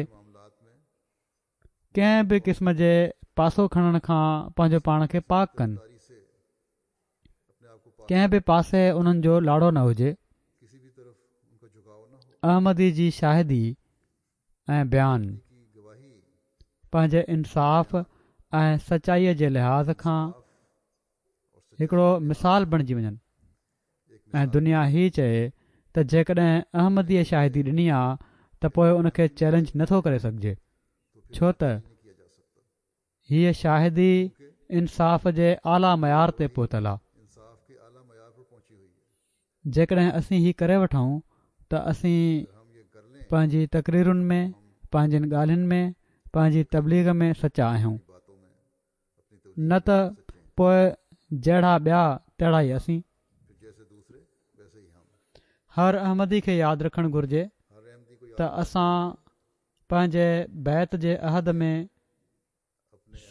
ڪنهن به قسم جي پاسو کڻڻ کان پنهنجو پاڻ کي پاڪ ڪن، ڪنهن به پاسي انهن جو لاڙو نه هجي. احمدي جي شاهدي ۽ بيان پنهنجي انصاف ۽ سچائيءَ جي لحاظ کان هڪڙو مثال بڻجي وڃن ۽ دنيا هي چئي ته جيڪڏهن احمديءَ شاهدي ڏني آ ته پوءِ ان کي چئلينج نٿو ڪري سگهجي، ڇو ته هيءَ شاهدي انصاف جي اعليٰ معيار تي پهتل آ. جيڪڏهن اسين هي ڪري وٺون ته اسين پنهنجي تقريرن ۾، پنهنجين ڳالهين ۾، پنهنجي تبليغ ۾ سچا آهيون، نه ته پوءِ جهڙا ٻيا تهڙا ئي اسين. هر احمدي کي ياد رکڻ گهرجي ته اسان پنهنجي بيعت جي عهد ۾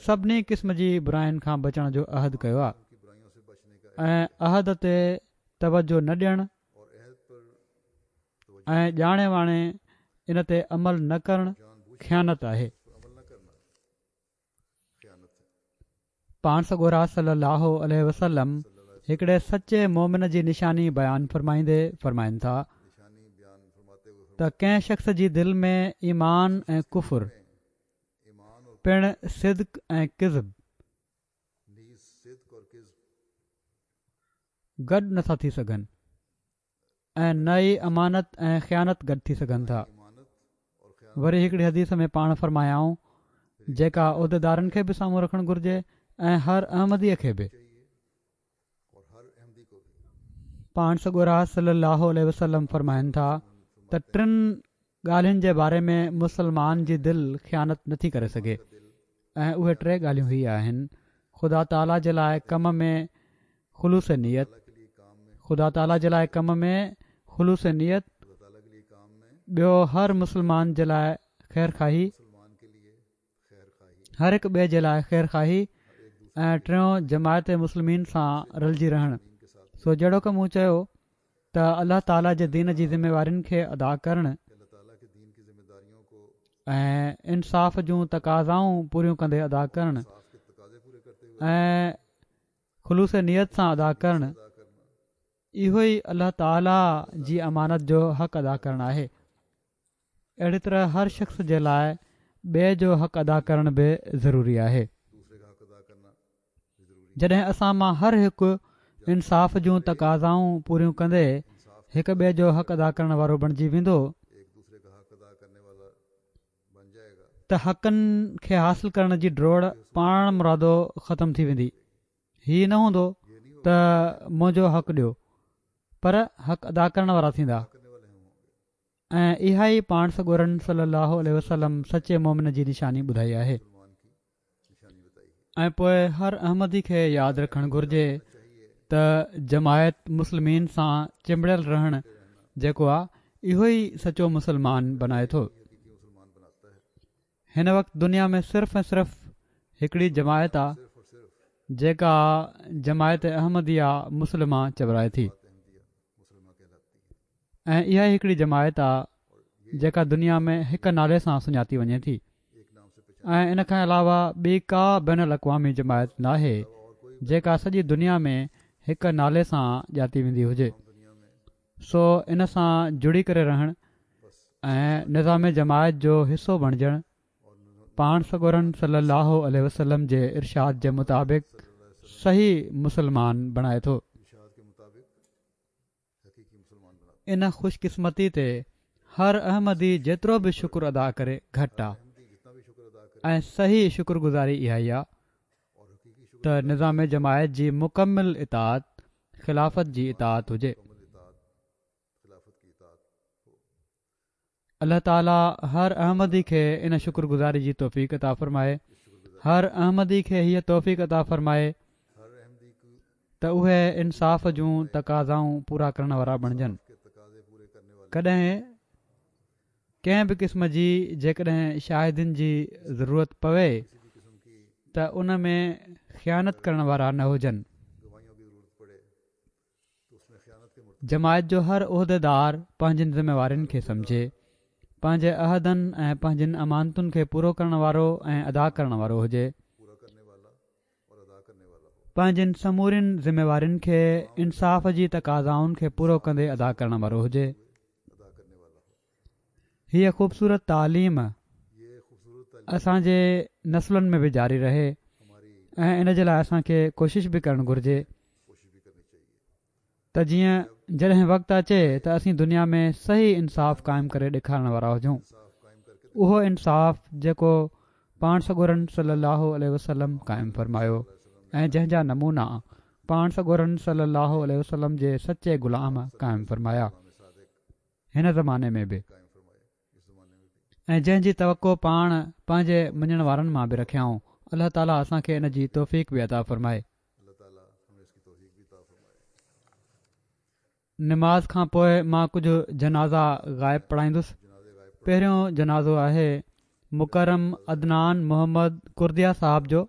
سڀني قسم جي براين کان بچڻ جو عهد ڪيو آهي ۽ عهد تي توجه نه ڏيڻ ۽ ڄاڻي واڻي ان تي عمل نه ڪرڻ خيانت آهي. پاڻ سڳورا صلي الله عليه وسلم هڪڙي سچي مومن جي نشاني بيان فرمائيندي فرمائن ٿا ته ڪنهن شخص جي دل ۾ ايمان ۽ ڪفر پڻ صدق ۽ ڪذب گڏ نٿا ٿي سگهن ۽ نه ئي امانت ۽ خيانت گڏ ٿي سگهن ٿا. وري هڪڙي حديث ۾ پاڻ فرمايائون جيڪا عهديدارن کي به سامهون رکڻ گهرجي ۽ هر احمديءَ کي به. پاڻ سڳورا صلي الله عليه وسلم فرمائن ٿا ته ٽن ڳالهين جي باري ۾ مسلمان جي دل خيانت نٿي ڪري سگهي ۽ اهي ٽي ڳالهيون هي آهن: خدا تعاليٰ جي لاءِ ڪم ۾ خلوص نيت، خدا تعاليٰ جي لاءِ ڪم ۾ خلوص نيت، ٻيو هر مسلمان جي لاءِ خير خواهي، هر هڪ ٻئي جي لاءِ خير خواهي، ۽ ٽيون جماعت مسلمين سان رلجي رهڻ. سو جهڙوڪ مون چيو ته الله تعاليٰ جي دين جي ذميوارين کي ادا ڪرڻ ۽ انصاف جون تقاضائون پوريون ڪندي ادا ڪرڻ ۽ خلوص نيت سان ادا ڪرڻ، اهو ئي الله تعاليٰ جي امانت جو حق ادا ڪرڻ آهي. اهڙي طرح هر شخص جي لاءِ ٻئي جو حق ادا ڪرڻ به ضروري آهي. جڏهن اسان مان هر هڪ انصاف جون تقاضائون پوريون ڪندي هڪ ٻئي جو حق ادا ڪرڻ وارو بڻجي ويندو ته حقن کي حاصل ڪرڻ جي ڊوڙ پاڻ مرادو ختم ٿي ويندي. هي نه هوندو ته منهنجو حق ڏيو، پر حق ادا ڪرڻ وارا ٿيندا. ۽ اها ئي پاڻ سڳورن صلي الله عليه وسلم سچي مومن جي نشاني ٻڌائي آهي. ۽ پوءِ هر احمدي کي ياد رکڻ گهرجي ته جماعت مسلمين سان چنبڙيل رهڻ جيڪو آهي اهو ئي سچو مسلمان بنائي ٿو. هن وقت دنيا ۾ صرف ۽ صرف هڪڙي جماعت آهي جيڪا جماعت احمديه مسلمه چورائي ٿي، ۽ اها ئي هڪڙي جماعت آهي جيڪا دنيا ۾ هڪ نالي سان سڃاتي وڃي ٿي، ۽ ان کان علاوه ٻي ڪا بين الاقوامي جماعت ناهي جيڪا سڄي دنيا ۾ هڪ نالي سان ڄاتي ويندي هجي. سو ان سان جڙي ڪري رهڻ ۽ نظام جماعت جو حصو بڻجڻ پاڻ سڳورن صلي الله عليه وسلم جي ارشاد جي مطابق صحيح مسلمان بڻائي ٿو. ان خوش قسمتي تي هر احمدي جيترو به شڪر ادا ڪري گهٽ آهي، ۽ صحيح شڪر گذاري اها ئي آهي ته نظام جماعت جي مڪمل اطاعت خلافت جي اطاعت هجي. الله تعاليٰ هر احمدي کي ان شڪر گذاري جي توفيق عطا فرمائي. هر احمدي کي هيءَ توفيق عطا فرمائي ته اهي انصاف جون تقاضائون پورا ڪرڻ وارا بڻجن. ڪڏهن ڪنهن به قسم جي جيڪڏهن شاهدين جي ضرورت پوي ته ان ۾ خيانت ڪرڻ وارا نه هجن. جماعت جو هر عهديدار پنهنجين ذميوارين کي سمجهي، پنهنجي عهدن ۽ پنهنجين امانتن کي پورو ڪرڻ وارو ۽ ادا ڪرڻ وارو هجي. پنهنجين سمورين ذميوارين کي انصاف جي تقاضائن کي پورو ڪندي ادا ڪرڻ وارو هجي. هيءَ خوبصورت تعليم اسان جي نسلن ۾ به جاري رهي ۽ ان جي لاءِ اسان کي ڪوشش به ڪرڻ گهرجي ته جيئن جڏهن وقت اچي ته اسين دنيا ۾ صحيح انصاف قائم ڪري ڏيکارڻ وارا هجون. اهو انصاف جيڪو پاڻ سڳورن صلي الله عليه وسلم قائم فرمايو ۽ جنهن جا نمونا پاڻ سڳورن صلي الله عليه وسلم جي سچي غلام قائم فرمايا هن زماني ۾ به، ۽ جنهن جي توقع پاڻ پنهنجي مڃڻ وارن مان به رکيائون. الله تعاليٰ اسان کي ان جي توفيق به عطا فرمائي. نماز کان پوءِ مان ڪجهه جنازا غائب پڙهائيندس. پهريون جنازو آهي مڪرم عدنان محمد ڪرديه صاحب جو،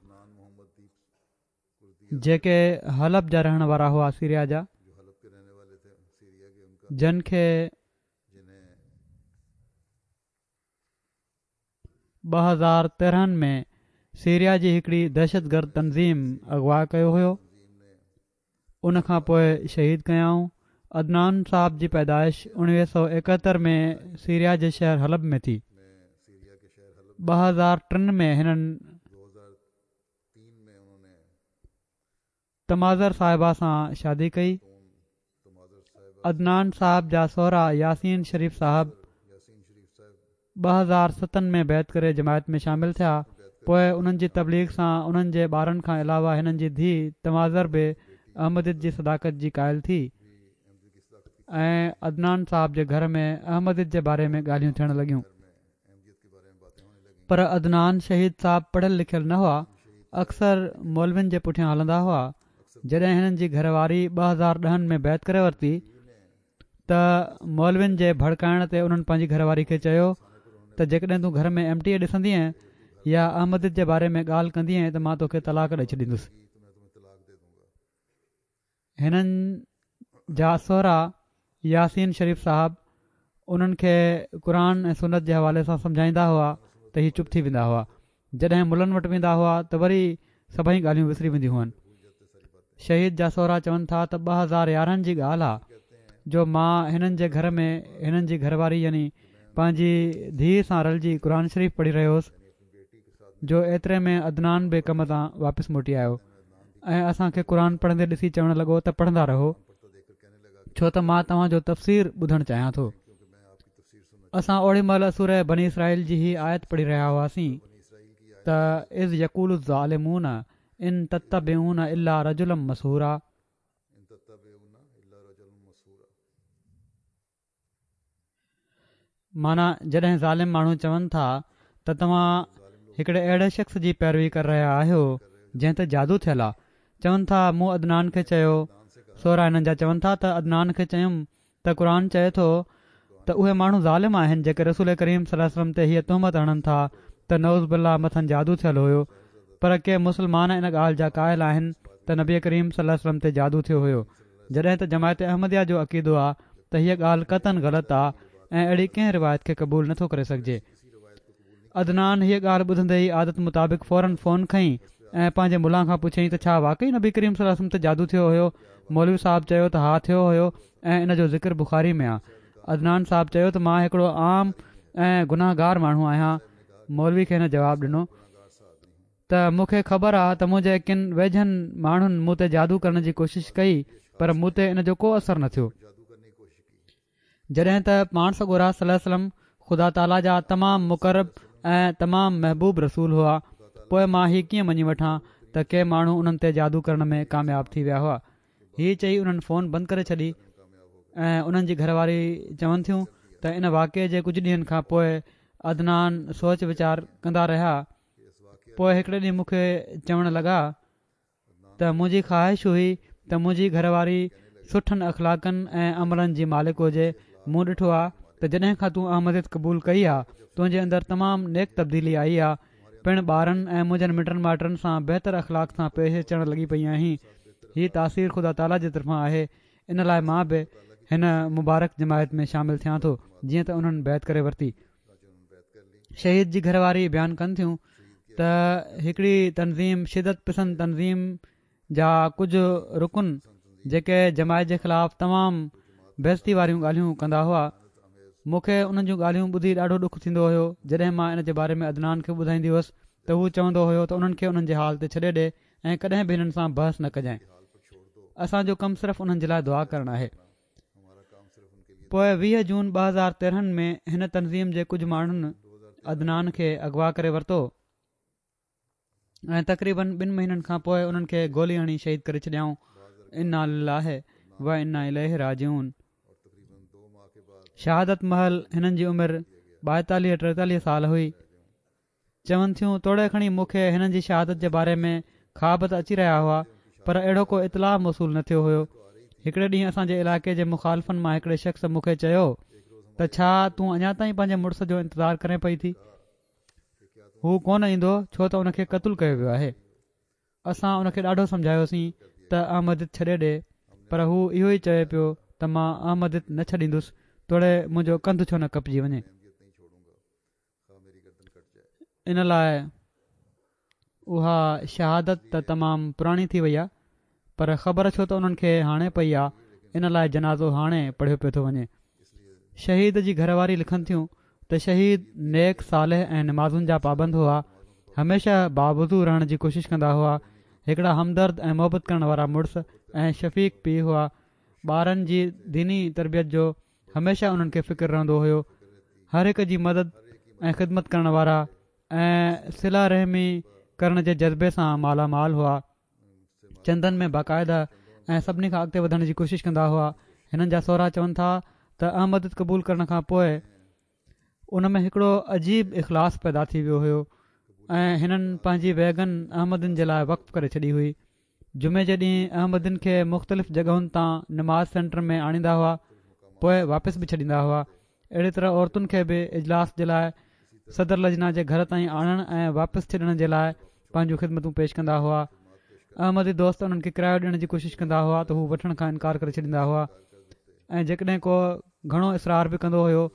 جيڪي حلب جا رهڻ وارا هئا، سيريا جا، جن کي ٻه هزار تيرهن ۾ سيريا جي هڪڙي دهشتگرد تنظيم اغوا ڪيو هيو، ان کان پوءِ شهيد ڪيائون. عدنان صاحب جي پيدائش اڻويهه سؤ ايڪهتر ۾ سيريا جي شهر حلب ۾ ٿي. ٻه هزار ٽن ۾ هنن تمازر صاحبه سان شادي ڪئي. عدنان صاحب جا سهرا ياسين شريف صاحب ٻه هزار ستن ۾ بيعت ڪري جماعت ۾ شامل ٿيا. پوءِ انهن جي تبليغ سان انهن جي ٻارن کان علاوه هنن جي ڌيءُ تمازر به احمديت جي صداقت جي قائل ٿي ۽ عدنان صاحب جي گهر ۾ احمديت جي باري ۾ ڳالهيون ٿيڻ لڳيون. پر عدنان شهيد صاحب پڙهيل لکيل نه هئا، اڪثر مولوين جي پٺيان هلندا هئا. جڏهن هنن جي گهر واري ٻه هزار ڏهن ۾ بيعت ڪري ورتي ته مولوين جي ڀڙڪائڻ تي انهن پنهنجي گهر واري کي چيو ته جيڪڏهن تون گهر ۾ ايم ٽي اي ڏسندينءَ يا احمديت جي باري ۾ ڳالهه ڪندينءَ ته مان توکي طلاق ڏئي ڇڏيندس. هنن جا سهرا ياسين شريف صاحب انهن کي قرآن ۽ سنت جي حوالي سان سمجهائيندا هئا ته هي چپ ٿي ويندا هئا. جڏهن ملن وٽ ويندا هئا ته وري سڀئي ڳالهيون وسري وينديون هئن. شهيد جا سهرا چون ٿا ته ٻه هزار يارهن جي ڳالهه آهي جو مان هنن جي گهر ۾ هنن جي گهر واري يعني پنهنجي ڌيءُ سان رلجي قرآن شريف پڙهي رهيو هوس جو ايتري ۾ عدنان به ڪم تان واپس موٽي آيو. ۽ اسان کي قرآن پڙهندي ڏسي چوڻ لڳو ته پڙهندا رهو، ڇو ته مان توهان جو تفسير ٻڌڻ چاهيان ٿو. اسان اوڏي مهل سوره بني اسرائيل جي هي آيت پڙهي رهيا هئاسين ته اذ يقول الظالمون ان تتبعون الا رجلا مسحورا. معنيٰ جڏهن ظالم ماڻهو چون ٿا ته توهان هڪڙي اهڙي شخص جي پيروي ڪري رهيا آهيو جنهن تي جادو ٿيل آ. چون ٿا مون عدنان کي چيو، سهرا هنن جا چون ٿا ته عدنان کي چيم ته قرآن چئي ٿو ته اهي ماڻهو ظالم آهن جيڪي رسول ڪريم صلي الله عليه وسلم تي هيء تهمت هڻن ٿا ته نعوذ بالله مٿن جادو ٿيل هيو، پر ڪي مسلمان ان ڳالهه جا قائل آهن ته نبي ڪريم صلي الله عليه وسلم تي جادو ٿيو هيو، جڏهن ته جماعت احمديه جو عقيدو آ ته هيء ڳالهه قطعاً غلط آ ۽ اهڙي ڪنهن روايت کي قبول نٿو ڪري سگهجي. عدنان هيء ڳالهه ٻڌندي ئي عادت مطابق فوراً فون کنئي ۽ پنهنجي ملان کان پڇيائين ته ڇا واقعي نبي ڪريم صلي الله عليه وسلم تي جادو ٿيو هيو؟ مولوي صاحب چيو ته ها ٿيو هيو ۽ ان جو ذڪر بخاري ۾ آ. عدنان صاحب چيو ته مان هڪڙو عام ۽ گناهگار ماڻهو آهيان. مولوي کي هن جواب ڏنو ته مون کي خبر آ ته منهنجي ڪن ويجهن ماڻهن مون تي جادو ڪرڻ جي ڪوشش ڪئي پر مون تي ان جو ڪو اثر نه ٿيو. جڏهن ته پاڻ سڳورا صلي الله عليه وسلم خدا تعاليٰ جا تمام مقرب ۽ تمام محبوب رسول هئا، پوء مان هي ڪيئن مڃي وٺان ته ڪي ماڻهو انهن تي جادو ڪرڻ ۾ ڪامياب ٿي ويا هئا. هي چئي انهن فون بند ڪري ڇڏي ۽ انهن جي گهر واري چون ٿيون ته ان واقعي جي ڪجهه ڏينهن کان پوء عدنان سوچ ويچار ڪندا رهيا، پوء هڪڙي ڏينهن مون کي چوڻ لڳا ته منهنجي خواهش هئي ته منهنجي گهر واري سٺن اخلاقن ۽ عملن جي مالڪ هجي، مون ڏٺو آ ته جڏهن کان تون احمديت قبول ڪئي آ تنهنجي اندر تمام نيڪ تبديلي آئي آ، پڻ ٻارن ۽ منهنجن مٽن مائٽن سان بهتر اخلاق سان پيش اچڻ لڳي پئي آهين، هي تاثير خدا تعاليٰ جي طرفان آهي، ان لاء مان به هن مبارڪ جماعت ۾ شامل ٿيان ٿو، جيئن ته انهن بيعت ڪري ورتي. شهيد جي گهر واري بيان ڪن ٿيون ته هڪڙي تنظيم شدت پسند تنظيم جا ڪجهه رڪن جيڪي جماعت جي خلاف تمام بيعزتي واريون ڳالهيون ڪندا هئا، مون کي انهن جون ڳالهيون ٻڌي ڏاڍو ڏک ٿيندو هيو. جڏهن مان ان جي باري ۾ عدنان کي ٻڌائيندي هيس ته هو چوندو هيو ته انهن کي انهن جي حال تي ڇڏي ڏي ۽ ڪڏهن به هنن سان بحث نه ڪجانء، اسان جو ڪم صرف انهن جي لاء دعا ڪرڻ آهي. پوء ويهه جون ٻه هزار تيرهن ۾ هن تنظيم جي ڪجهه ماڻهن عدنان کي اغوا ڪري ورتو ۽ تقريبن ٻن مهينن کان پوء انهن کي گولي هڻي شهيد ڪري ڇڏيائون. انا لله و انا اليه راجعون. شهادت مهل هنن جي عمر ٻائيتاليهه ٽيتاليهه سال هئي. چون ٿيون توڙي کڻي مون کي هنن جي شهادت جي باري ۾ خواب ته اچي رهيا هئا پر اهڙو ڪو اطلاع موصول نه ٿيو هيو. هڪڙي ڏينهن اسان جي علائقي جي مخالفن مان هڪڙي شخص مون کي چيو ته ڇا تون اڃا تائين پنهنجي مڙس جو انتظار ڪرين پئي ٿي؟ هو ڪونه ايندو ڇو ته ان کي قتل ڪيو ويو آهي. اسان ان کي ڏاڍو سمجهايوسين ته احمديت ڇڏي ڏي پر هو اهو ئي چوي پيو ته مان احمديت نه ڇڏيندس توڙي منهنجو ڪنڌ ڇو نه ڪپجي وڃي. ان لاء اها شهادت ته تمام پراڻي ٿي وئي آهي پر خبر ڇو ته انهن کي هاڻي پئي آهي ان لاء جنازو هاڻي پڙهيو پيو ٿو وڃي. شهيد جي گهر واري لکن ٿيون ته شهيد نيڪ صالح ۽ نمازن جا پابند هئا، هميشه باوضو رهڻ جي ڪوشش ڪندا هئا، هڪڙا همدرد ۽ محبت ڪرڻ وارا مڙس ۽ شفيق پيء هئا، ٻارن جي ديني تربيت جو هميشه انهن کي فڪر رهندو هيو، هر هڪ جي مدد ۽ خدمت ڪرڻ وارا ۽ صله رحمي ڪرڻ جي جذبي سان مالا مال هئا، چندن ۾ باقاعده ۽ سڀني کان اڳتي وڌڻ جي ڪوشش ڪندا هئا. هنن جا سهرا چون ٿا ته احمديت قبول ڪرڻ کان پوء ان ۾ هڪڙو عجيب اخلاص پيدا ٿي ويو هيو ۽ هنن پنهنجي ويگن احمدين جي لاء وقف ڪري ڇڏي هئي. جمعي جي ڏينهن احمدين کي مختلف جڳهن تان نماز سينٽر ۾ آڻيندا هئا پوء واپس به ڇڏيندا هئا. اهڙي طرح عورتن کي به اجلاس جي لاء صدر لجنا جي گهر تائين آڻڻ ۽ واپس ڇڏڻ جي لاء پنهنجون خدمتون پيش ڪندا هئا. احمدي دوست انهن کي ڪرايو ڏيڻ جي ڪوشش ڪندا هئا ته هو وٺڻ کان انڪار ڪري ڇڏيندا هئا ۽ جيڪڏهن ڪو گهڻو اصرار به ڪندو هيو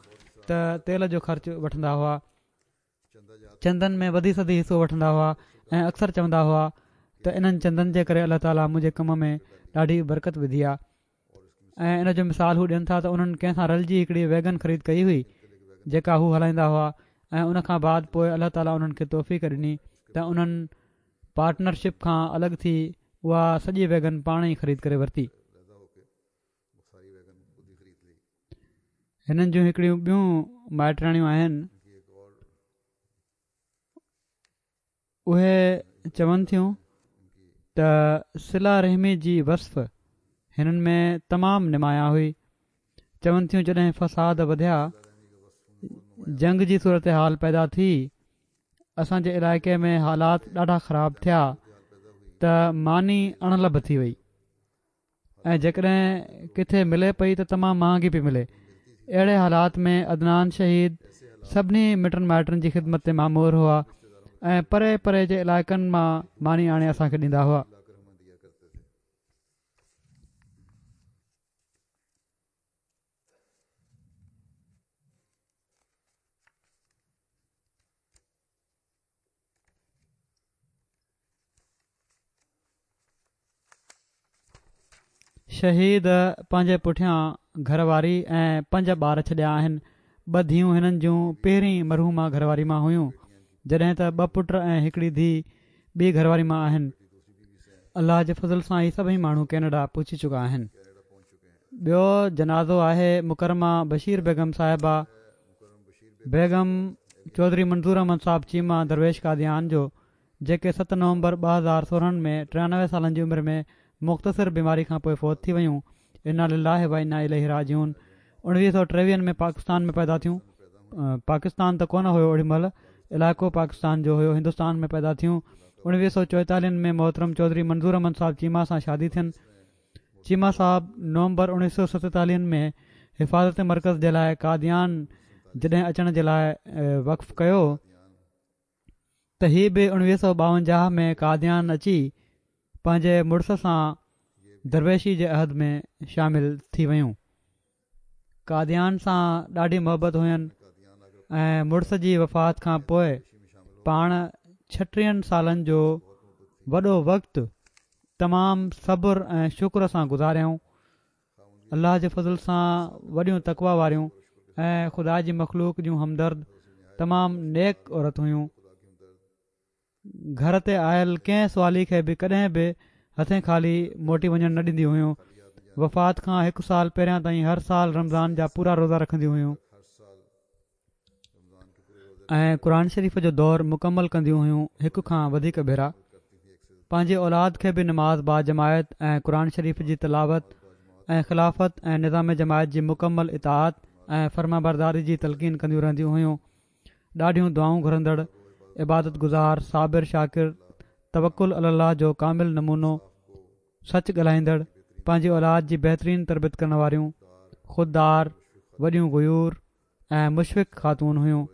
ته تيل جو خرچ وٺندا هئا. چندن ۾ وڌي سڌي حصو وٺندا هئا ۽ اڪثر چوندا هئا ته انهن چندن جي ڪري الله تعاليٰ منهنجي ڪم ۾ ڏاڍي برڪت وڌي آهي ۽ ان جو مثال هو ڏين ٿا ته انهن ڪنهن سان رلجي هڪڙي ويگن خريد ڪئي هئي جيڪا هو هلائيندا هئا ۽ ان کان بعد پوء الله تعاليٰ انهن کي توفيق ڏني ته انهن پارٽنرشپ کان الڳ ٿي اها سڄي ويگن پاڻ ئي خريد ڪري ورتي. هنن جون هڪڙيون ٻيون مائٽياڻيون آهن، اهي چون ٿيون ته صله رحمي جي وصف هنن ۾ تمام نمايان هئي. چون ٿيون جڏهن فساد وڌيا، جنگ جي صورتحال پيدا ٿي، اسان جي علائقي ۾ حالات ڏاڍا خراب ٿيا ته ماني اڻلڀ ٿي وئي ۽ جيڪڏهن ڪٿي ملي پئي ته تمام مهانگي پئي ملي. اهڙي حالات ۾ عدنان شهيد سڀني مٽن مائٽن جي خدمت تي مامور هئا ۽ پري پري جي علائقن مان ماني آڻي اسان کي ڏيندا هئا. شهيد پنهنجي پٺيان گهر واري ۽ پنج ٻار ڇڏيا آهن. ٻه ڌيئون هنن جون پهرين مرحومه گهر واري مان هيون، جڏهن ته ٻه پٽ ۽ هڪڙي ڌيء ٻي گهر واري مان آهن. الله جي فضل سان هي سڀئي ماڻهو ڪينيڊا پهچي چڪا آهن. ٻيو جنازو آهي مڪرمه بشير بيگم صاحبه بيگم چوڌري منظور احمد صاحب چيما درويش قاديان جو، جيڪي ست نومبر ٻه هزار سورهن ۾ ٽيانوي سالن جي عمر ۾ مختصر بيماري کان پوءِ فوت ٿي ويون. انا لله و انا اليه راجعون. اڻويهه سؤ ٽيويهن ۾ پاڪستان ۾ پيدا ٿيون. پاڪستان ته ڪونه هيو اوڏي مهل، علائقو پاڪستان جو هيو، هندستان ۾ پيدا ٿيون. اڻويهه سؤ چوئيتاليهن ۾ محترم چوڌري منظور احمد صاحب چيما سان شادي ٿين. چيما صاحب نومبر اڻويهه سؤ ستيتاليهن ۾ حفاظت مرڪز جي لاءِ قاديان جڏهن اچڻ جي لاءِ وقف ڪيو ته هي به اڻويهه سؤ ٻاونجاهه ۾ قاديان اچي پنهنجي مڙس سان درويشي جي عهد ۾ شامل ٿي ويون. قاديان سان ڏاڍي محبت هين ۽ مڙس جي وفات کان پوءِ پاڻ ڇٽيهن سالن جو وڏو وقت تمام صبر ۽ شڪر سان گذاريائون. الله جي فضل سان وڏيون تقويٰ واريون ۽ خدا جي مخلوق جون همدرد تمام نيڪ عورت هيون. گهر تي آيل ڪنهن سوالي کي به ڪڏهن به هٿين خالي موٽي وڃڻ نه ڏينديون هيون. وفات کان هڪ سال پهريان تائين هر سال رمضان جا پورا روزا رکنديون هيون ۽ قرآن شريف جو دور مڪمل ڪنديون هيون هڪ کان وڌيڪ ڀيرا. پنهنجي اولاد کي به نماز باجماعت ۽ قرآن شريف جي تلاوت ۽ خلافت ۽ نظام جماعت جي مڪمل اطاعت ۽ فرمانبرداري جي تلقين ڪنديون رهنديون هيون. ڏاڍيون دعائون گهرندڙ، عبادت گذار، صابر شاڪر، توڪل علي الله جو ڪامل نمونو، سچ ڳالهائيندڙ، پنهنجي اولاد جي بهترين تربيت ڪرڻ واريون، خوددار، وڏيون غيور ۽ مشفق خاتون هيون.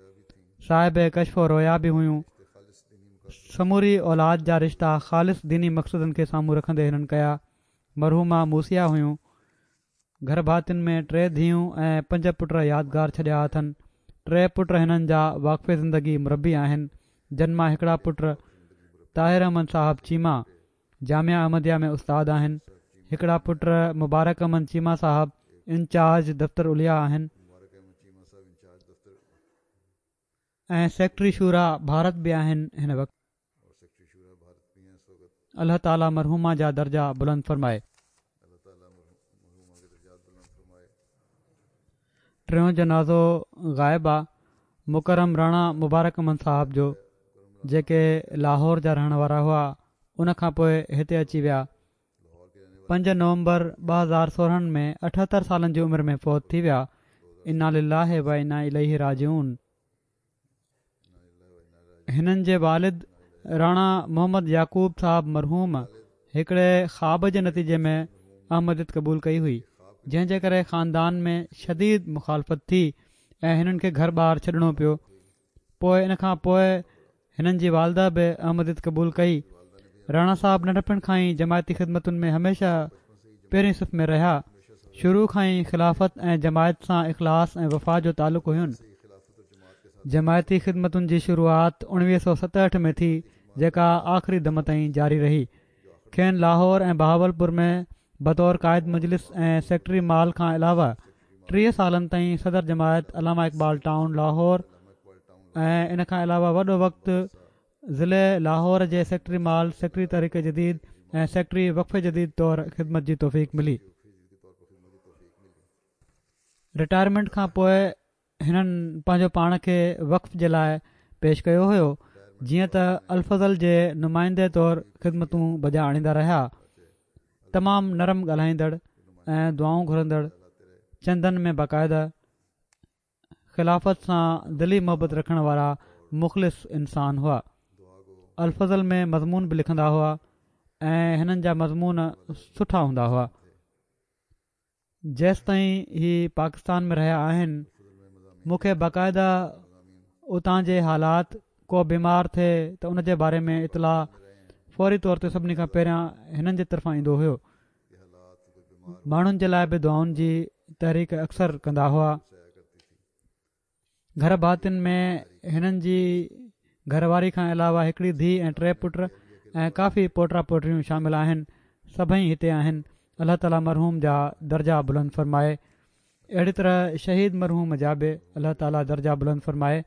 صاحب ڪشف و رويا به هيون. سموري اولاد جا رشتا خالص ديني مقصدن کي سامهون رکندي هنن ڪيا. مرحومه موصيه هيون. گهر ڀاتين ۾ ٽي ڌيئون ۽ پنج پٽ يادگار ڇڏيا اٿن. ٽي پٽ هنن جا واقف زندگي مربي آهن، جن مان هڪڙا پٽ طاهر احمد صاحب چيما جامعه احمديه ۾ استاد آهن، هڪڙا پٽ مبارڪ احمد چيما صاحب انچارج دفتر عليا آهن ۽ سيڪريٽري شورا ڀارت به آهن هن وقت. الله تعاليٰ مرحومه جا درجا بلند فرمائي. ٽيون جنازو غائب آ مڪرم راڻا مبارڪ احمد صاحب جو، جيڪي لاهور جا رهڻ وارا هئا، ان کان پوءِ هتي اچي ويا. پنج نومبر ٻه هزار سورهن ۾ اٺهتر سالن جي عمر ۾ فوت ٿي ويا. انا لله و انا اليه راجعون. هنن جي والد راڻا محمد يعقوب صاحب مرحوم هڪڙي خواب جي نتيجي ۾ احمديت قبول ڪئي هئي، جنهن جي ڪري خاندان ۾ شديد مخالفت ٿي ۽ هنن کي گهر ٻار ڇڏڻو پيو. پوءِ ان کان پوءِ هنن جي والده به احمديت قبول ڪئي. راڻا صاحب ننڍپڻ کان ئي جماعتي خدمتن ۾ هميشه پهرين صف ۾ رهيا. شروع کان ئي خلافت ۽ جماعت سان اخلاص ۽ وفا جو تعلق هين. جماعتي خدمتن جي شروعات اڻويهه سؤ ستهٺ ۾ ٿي، جيڪا آخري دم تائين جاري رهي. کين لاهور ۽ بهاولپور ۾ بطور قائد مجلس ۽ سيڪريٽري مال کان علاوه ٽيهه سالن تائين صدر جماعت علامه اقبال ٽائون لاهور ۽ ان کان علاوه وڏو وقت ضلعي لاهور جي سيڪريٽري مال، سيڪريٽري تحريڪ جديد ۽ سيڪريٽري وقف جديد طور خدمت جي توفيق ملي. رٽائرمينٽ کان پوءِ هنن پنهنجو پاڻ کي وقف جي لاءِ پيش ڪيو هيو، جيئن ته الفضل جي نمائندي طور خدمتون بجا آڻيندا رهيا. تمام نرم ڳالهائيندڙ ۽ دعائون گهرندڙ، چندن ۾ باقاعده خلافت سان دلي محبت رکڻ وارا مخلص انسان هئا. الفضل ۾ مضمون به لکندا هئا ۽ هنن جا مضمون سٺا هوندا هئا. جيستائين هي پاڪستان ۾ رهيا آهن مون کي باقاعده اتان جي حالات، ڪو بيمار ٿئي ته ان جي باري ۾ اطلاع فوري طور تي سڀني کان پهريان هنن جي طرفان ايندو هيو. ماڻهن جي لاءِ به دعائن جي تحريڪ اڪثر ڪندا هئا. گهر ڀاتين ۾ هنن جي گهر واري کان علاوه هڪڙي ڌيءُ ۽ ٽي پٽ ۽ ڪافي پوٽا پوٽيون شامل آهن. سڀئي هتي آهن. الله تعاليٰ مرحوم جا درجا بلند فرمائي. اهڙي طرح شهيد مرحوم جا به الله تعاليٰ درجا بلند فرمائي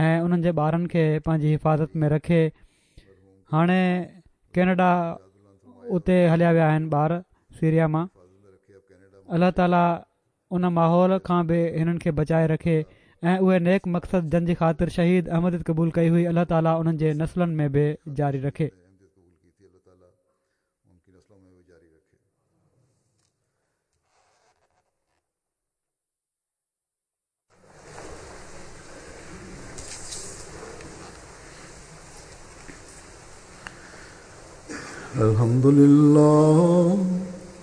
۽ انهن جي ٻارن کي پنهنجي حفاظت ۾ رکي. هاڻي ڪينيڊا اتي هليا ويا آهن ٻار سيريا مان. الله تعاليٰ ان ماحول کان به هنن کي بچائي رکي ۽ اهي نيڪ مقصد جن جي خاطر شهيد احمديت قبول ڪئي هئي الله تعاليٰ انهن جي نسلن ۾ به جاري رکي. الحمد لله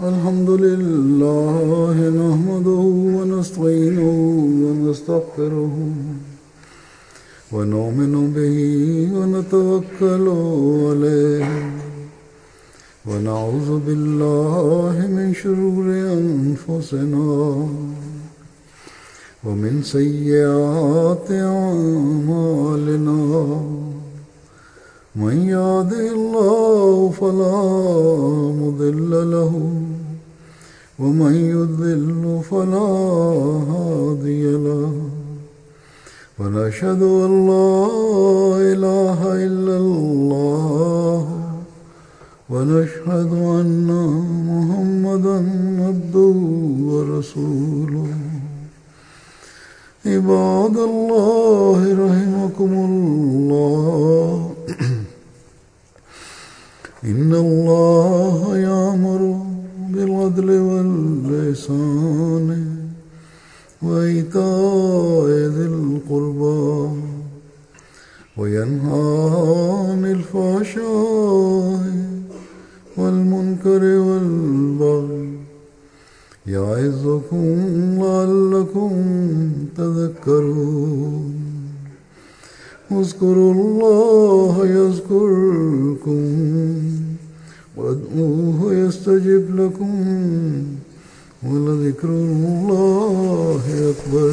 الحمد لله نحمده ونستعينه ونستغفره ونؤمن به ونتوكل عليه ونعوذ بالله من شرور أنفسنا ومن سيئات أعمالنا من يهده الله فلا مضل له ومن يضلل فلا هادي له ونشهد أن لا إله إلا الله ونشهد أن محمدا عبده ورسوله. عباد الله رحمكم الله، إن الله يأمر بالعدل والإحسان وإيتاء ذي القربى وينهى عن الفحشاء والمنكر والبغي يعظكم لعلكم تذكرون. اذكروا الله يذكركم وادعوه يستجب لكم ولذكر الله أكبر.